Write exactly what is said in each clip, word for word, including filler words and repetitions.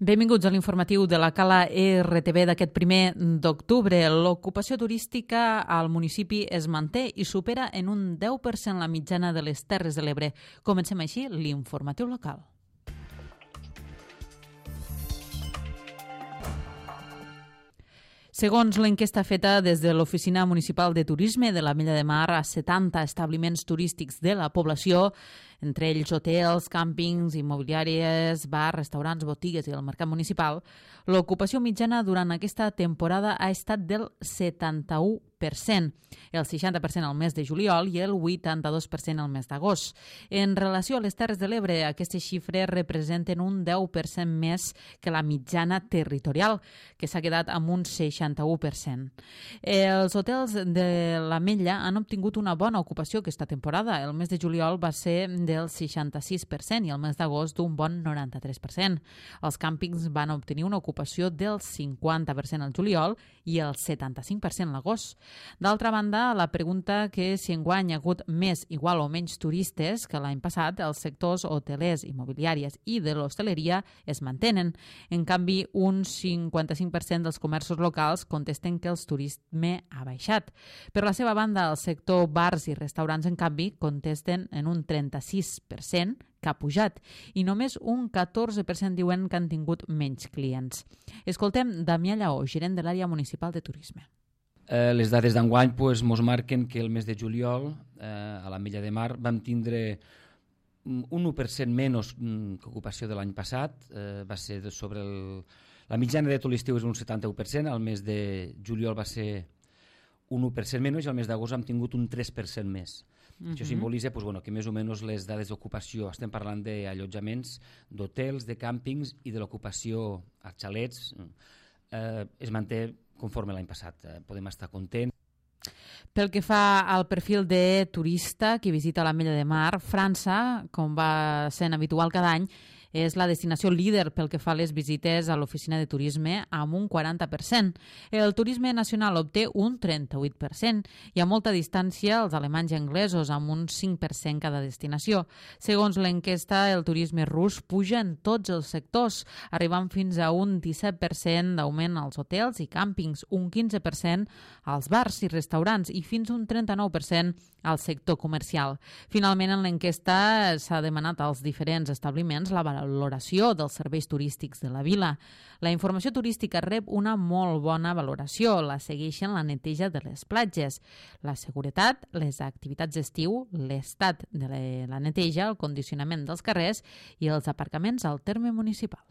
Benvinguts a l'informatiu de la Cala R T V d'aquest primer d'octubre. L'ocupació turística al municipi es manté i supera en un deu per cent la mitjana de les Terres de l'Ebre. Comencem així l'informatiu local. Segons l'enquesta feta des de l'Oficina Municipal de Turisme de l'Ametlla de Mar a setanta establiments turístics de la població, entre ells hotels, càmpings, immobiliàries, bars, restaurants, botigues i el mercat municipal, l'ocupació mitjana durant aquesta temporada ha estat del setanta-u per cent, el seixanta per cent al mes de juliol i el vuitanta-dos per cent al mes d'agost. En relació a les Terres de l'Ebre, aquestes xifres representen un deu per cent més que la mitjana territorial, que s'ha quedat amb un seixanta-u per cent. Els hotels de l'Ametlla han obtingut una bona ocupació aquesta temporada. El mes de juliol va ser del seixanta-sis per cent i el mes d'agost d'un bon noranta-tres per cent. Els càmpings van obtenir una ocupació del cinquanta per cent al juliol i el setanta-cinc per cent l'agost. D'altra banda, la pregunta que si enguany hi ha hagut més, igual o menys turistes que l'any passat, els sectors hotelers, immobiliàries i de l'hostaleria es mantenen. En canvi, un cinquanta-cinc per cent dels comerços locals contesten que el turisme ha baixat. Per la seva banda, el sector bars i restaurants, en canvi, contesten en un trenta-sis per cent que ha pujat i només un catorze per cent diuen que han tingut menys clients. Escoltem Damià Lleó, gerent de l'àrea municipal de turisme. Eh, les dades d'enguany pues, mos marquen que el mes de juliol eh, a l'Ametlla de Mar vam tindre un u per cent menys que ocupació de l'any passat. Eh, va ser sobre el... La mitjana de tot l'estiu és un setanta-u per cent, el mes de juliol va ser un u per cent menys i el mes d'agost hem tingut un tres per cent més. Uh-huh. Això simbolitza pues, bueno, que més o menys les dades d'ocupació, estem parlant d'allotjaments, d'hotels, de càmpings i de l'ocupació a xalets, eh, es manté conforme l'any passat. Eh, podem estar contents. Pel que fa al perfil de turista que visita l'Ametlla de Mar, França, com va sent habitual cada any, és la destinació líder pel que fa a les visites a l'oficina de turisme amb un quaranta per cent. El turisme nacional obté un trenta-vuit per cent i a molta distància els alemanys i anglesos amb un cinc per cent cada destinació. Segons l'enquesta, el turisme rus puja en tots els sectors, arribant fins a un disset per cent d'augment als hotels i càmpings, un quinze per cent als bars i restaurants i fins un trenta-nou per cent al sector comercial. Finalment, en l'enquesta s'ha demanat als diferents establiments la valoració dels serveis turístics de la vila. La informació turística rep una molt bona valoració. La segueixen la neteja de les platges, la seguretat, les activitats d'estiu, l'estat de la neteja, el condicionament dels carrers i els aparcaments al terme municipal.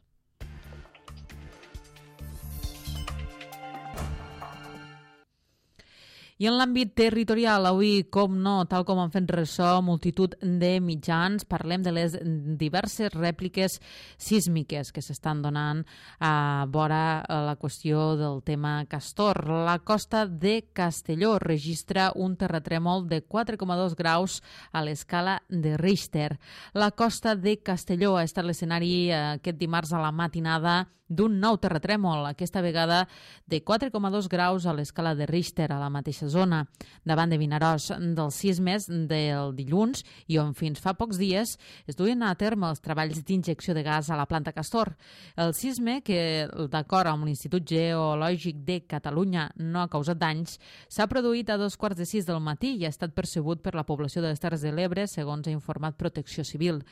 I en l'àmbit territorial, avui, com no, tal com han fet ressò multitud de mitjans, parlem de les diverses rèpliques sísmiques que s'estan donant a vora la qüestió del tema Castor. La costa de Castelló registra un terratrèmol de quatre coma dos graus a l'escala de Richter. La costa de Castelló ha estat l'escenari aquest dimarts a la matinada d'un nou terratrèmol, aquesta vegada de quatre coma dos graus a l'escala de Richter, a la mateixa zona, davant de Vinaròs, dels sismes del dilluns i on fins fa pocs dies es duien a terme els treballs d'injecció de gas a la planta Castor. El sisme, que d'acord amb l'Institut Geològic de Catalunya no ha causat danys, s'ha produït a dos quarts de sis del matí i ha estat percebut per la població de les Terres de l'Ebre, segons ha informat Protecció Civil.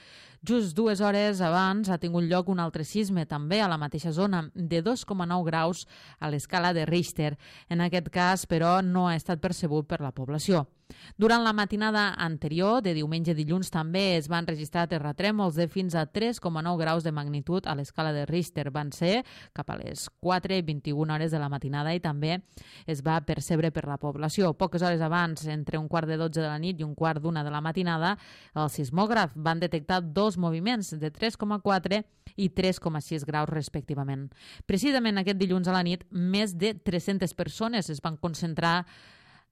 Just dues hores abans ha tingut lloc un altre sisme, també a la mateixa zona, de dos coma nou graus a l'escala de Richter. En aquest cas, però, no ha estat percebut per la població. Durant la matinada anterior, de diumenge a dilluns, també es van registrar terratrèmols de fins a tres coma nou graus de magnitud a l'escala de Richter. Van ser cap a les quatre i vint-i-una hores de la matinada i també es va percebre per la població. Poques hores abans, entre un quart de dotze de la nit i un quart d'una de la matinada, el sismògraf van detectar dos moviments de tres coma quatre i tres coma sis graus respectivament. Precisament aquest dilluns a la nit, més de tres-centes persones es van concentrar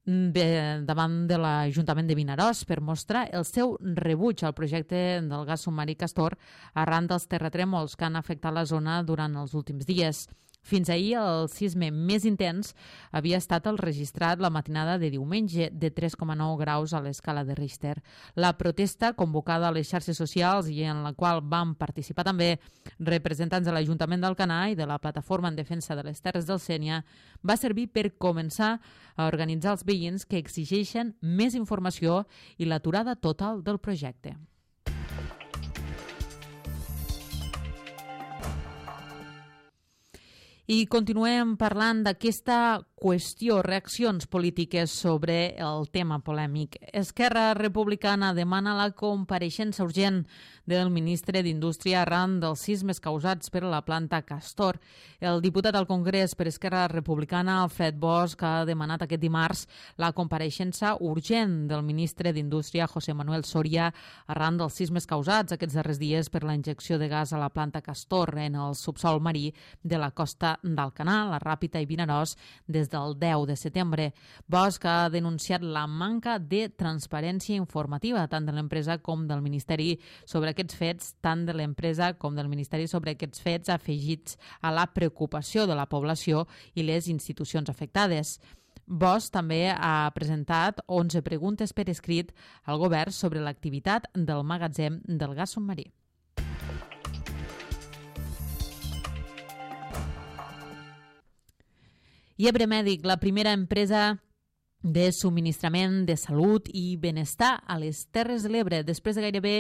davant de l'Ajuntament de Vinaròs per mostrar el seu rebuig al projecte del gas submarí Castor arran dels terratrèmols que han afectat la zona durant els últims dies. Fins ahir, el sisme més intens havia estat el registrat la matinada de diumenge, de tres coma nou graus a l'escala de Richter. La protesta, convocada a les xarxes socials i en la qual van participar també representants de l'Ajuntament d'Alcanar i de la Plataforma en Defensa de les Terres del Sénia, va servir per començar a organitzar els veïns que exigeixen més informació i l'aturada total del projecte. I continuem parlant d'aquesta qüestió, reaccions polítiques sobre el tema polèmic. Esquerra Republicana demana la compareixença urgent del ministre d'Indústria arran dels sismes causats per la planta Castor. El diputat al Congrés per Esquerra Republicana, Alfred Bosch, ha demanat aquest dimarts la compareixença urgent del ministre d'Indústria, José Manuel Soria, arran dels sismes causats aquests darrers dies per la injecció de gas a la planta Castor en el subsòl marí de la costa d'Alcanar, la Ràpita i Vinaròs, des del deu de setembre. Bosch ha denunciat la manca de transparència informativa tant de l'empresa com del Ministeri sobre aquests fets, tant de l'empresa com del Ministeri sobre aquests fets afegits a la preocupació de la població i les institucions afectades. Bosch també ha presentat onze preguntes per escrit al govern sobre l'activitat del magatzem del gas submarí. I Ebre Mèdic, la primera empresa de subministrament de salut i benestar a les Terres de l'Ebre, després de gairebé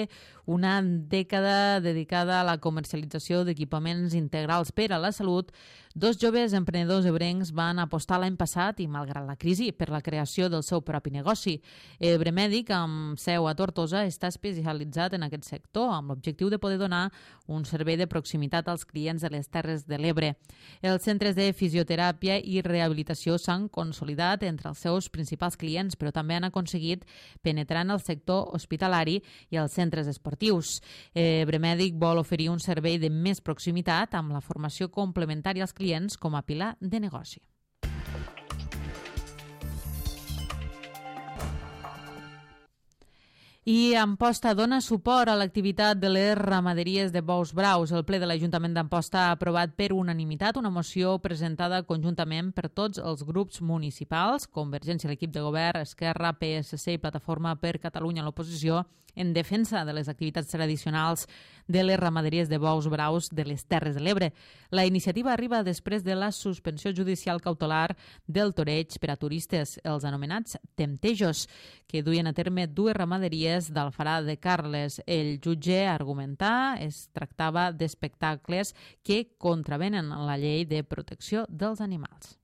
una dècada dedicada a la comercialització d'equipaments integrals per a la salut, dos joves emprenedors ebrencs van apostar l'any passat i, malgrat la crisi, per la creació del seu propi negoci. Ebre Mèdic, amb seu a Tortosa, està especialitzat en aquest sector, amb l'objectiu de poder donar un servei de proximitat als clients de les Terres de l'Ebre. Els centres de fisioteràpia i rehabilitació s'han consolidat entre els seus principals clients, però també han aconseguit penetrar en el sector hospitalari i els centres esportius. Ebre Mèdic vol oferir un servei de més proximitat amb la formació complementària als clients com a pilar de negoci. I Amposta dona suport a l'activitat de les ramaderies de bous braus. El ple de l'Ajuntament d'Amposta ha aprovat per unanimitat una moció presentada conjuntament per tots els grups municipals, Convergència, l'equip de govern, Esquerra, P S C i Plataforma per Catalunya a l'oposició, en defensa de les activitats tradicionals de les ramaderies de bous braus de les Terres de l'Ebre. La iniciativa arriba després de la suspensió judicial cautelar del toreig per a turistes, els anomenats temptejos, que duien a terme dues ramaderies d'Alfarà de Carles. El jutge argumentà es tractava d'espectacles que contravenen la llei de protecció dels animals.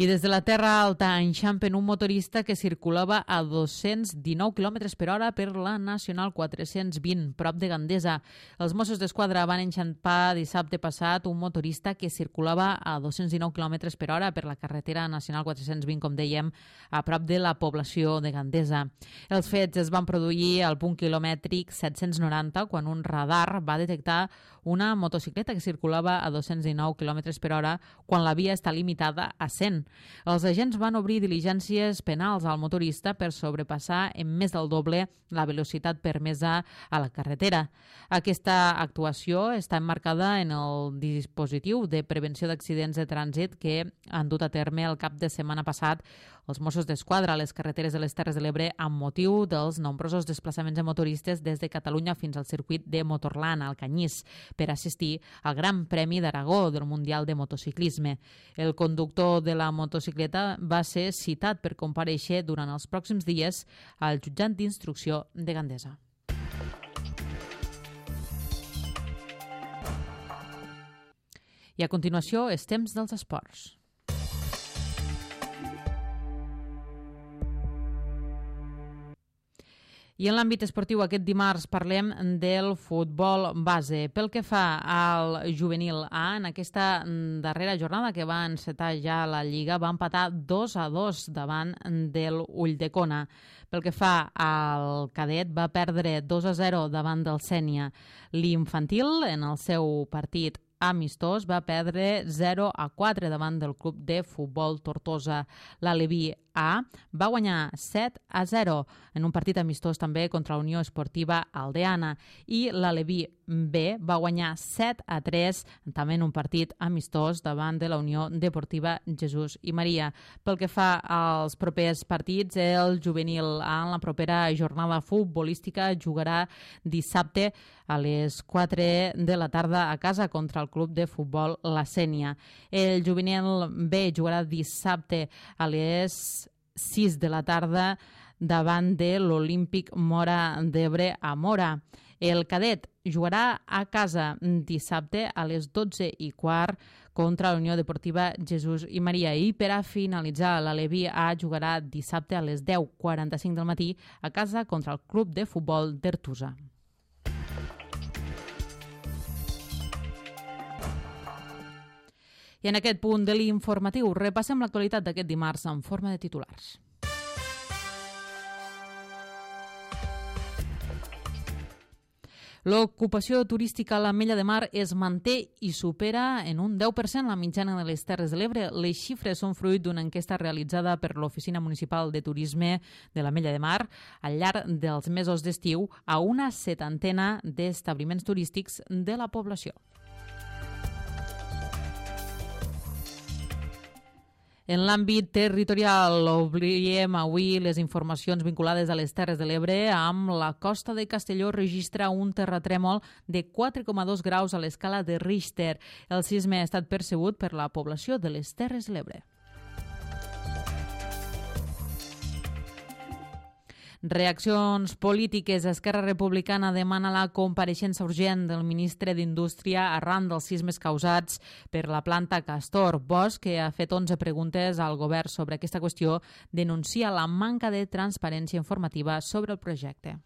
I des de la Terra Alta enxampen un motorista que circulava a dos-cents dinou quilòmetres per hora per la Nacional quatre-cents vint, prop de Gandesa. Els Mossos d'Esquadra van enxampar dissabte passat un motorista que circulava a dos-cents dinou quilòmetres per hora per la carretera Nacional quatre-cents vint, com dèiem, a prop de la població de Gandesa. Els fets es van produir al punt quilomètric set-cents noranta, quan un radar va detectar una motocicleta que circulava a dos-cents dinou quilòmetres per hora quan la via està limitada a cent. Els agents van obrir diligències penals al motorista per sobrepassar en més del doble la velocitat permesa a la carretera. Aquesta actuació està emmarcada en el dispositiu de prevenció d'accidents de trànsit que han dut a terme el cap de setmana passat els Mossos d'Esquadra a les carreteres de les Terres de l'Ebre amb motiu dels nombrosos desplaçaments de motoristes des de Catalunya fins al circuit de Motorland, al Canyís, per assistir al Gran Premi d'Aragó del Mundial de Motociclisme. El conductor de la motocicleta va ser citat per comparèixer durant els pròxims dies al jutjat d'instrucció de Gandesa. I a continuació, és temps dels esports. I en l'àmbit esportiu aquest dimarts parlem del futbol base. Pel que fa al juvenil A, en aquesta darrera jornada que va encetar ja la Lliga, va empatar dos a dos davant del Ulldecona. Pel que fa al cadet, va perdre dos a zero davant del Sénia. L'infantil, en el seu partit amistós, va perdre zero a quatre davant del club de futbol Tortosa. L'Aleví A va guanyar set a zero en un partit amistós també contra la Unió Esportiva Aldeana i l'Aleví B va guanyar set a tres també en un partit amistós davant de la Unió Deportiva Jesús i Maria. Pel que fa als propers partits, el juvenil A en la propera jornada futbolística jugarà dissabte a les quatre de la tarda a casa contra el club de futbol La Sénia. El juvenil B jugarà dissabte a les sis de la tarda davant de l'Olímpic Mora d'Ebre a Mora. El cadet jugarà a casa dissabte a les dotze i quart contra la Unió Deportiva Jesús i Maria. I per a finalitzar, l'Aleví A jugarà dissabte a les deu quaranta-cinc del matí a casa contra el club de futbol d'Ertusa. I en aquest punt de l'informatiu repassem l'actualitat d'aquest dimarts en forma de titulars. L'ocupació turística a l'Ametlla de Mar es manté i supera en un deu per cent la mitjana de les Terres de l'Ebre. Les xifres són fruit d'una enquesta realitzada per l'Oficina Municipal de Turisme de l'Ametlla de Mar al llarg dels mesos d'estiu a una setantena d'establiments turístics de la població. En l'àmbit territorial, obliem avui les informacions vinculades a les Terres de l'Ebre amb la costa de Castelló registra un terratrèmol de quatre coma dos graus a l'escala de Richter. El sisme ha estat percebut per la població de les Terres de l'Ebre. Reaccions polítiques. Esquerra Republicana demana la compareixença urgent del ministre d'Indústria arran dels sismes causats per la planta Castor. Bosch, que ha fet onze preguntes al govern sobre aquesta qüestió, denuncia la manca de transparència informativa sobre el projecte.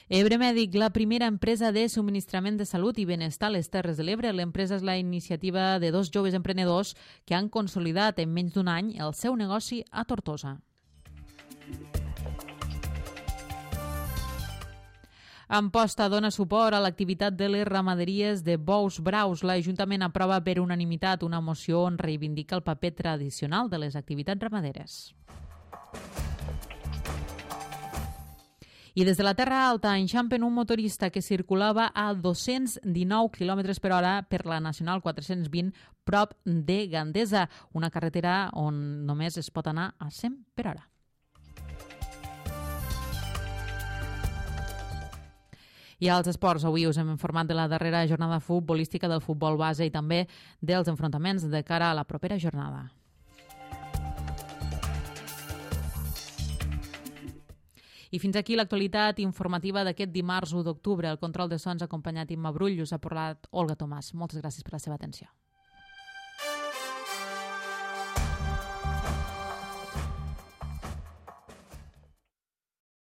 Ebre Mèdic, la primera empresa de subministrament de salut i benestar a les Terres de l'Ebre. L'empresa és la iniciativa de dos joves emprenedors que han consolidat en menys d'un any el seu negoci a Tortosa. Amposta dona suport a l'activitat de les ramaderies de bous braus. L'Ajuntament aprova per unanimitat una moció on reivindica el paper tradicional de les activitats ramaderes. I des de la Terra Alta enxampen un motorista que circulava a dos-cents dinou quilòmetres per hora per la Nacional quatre-cents vint prop de Gandesa, una carretera on només es pot anar a cent per hora. I als esports, avui us hem informat de la darrera jornada futbolística del futbol base i també dels enfrontaments de cara a la propera jornada. I fins aquí l'actualitat informativa d'aquest dimarts u d'octubre. El control de sons acompanyat Imma Brull us ha parlat Olga Tomàs. Moltes gràcies per la seva atenció.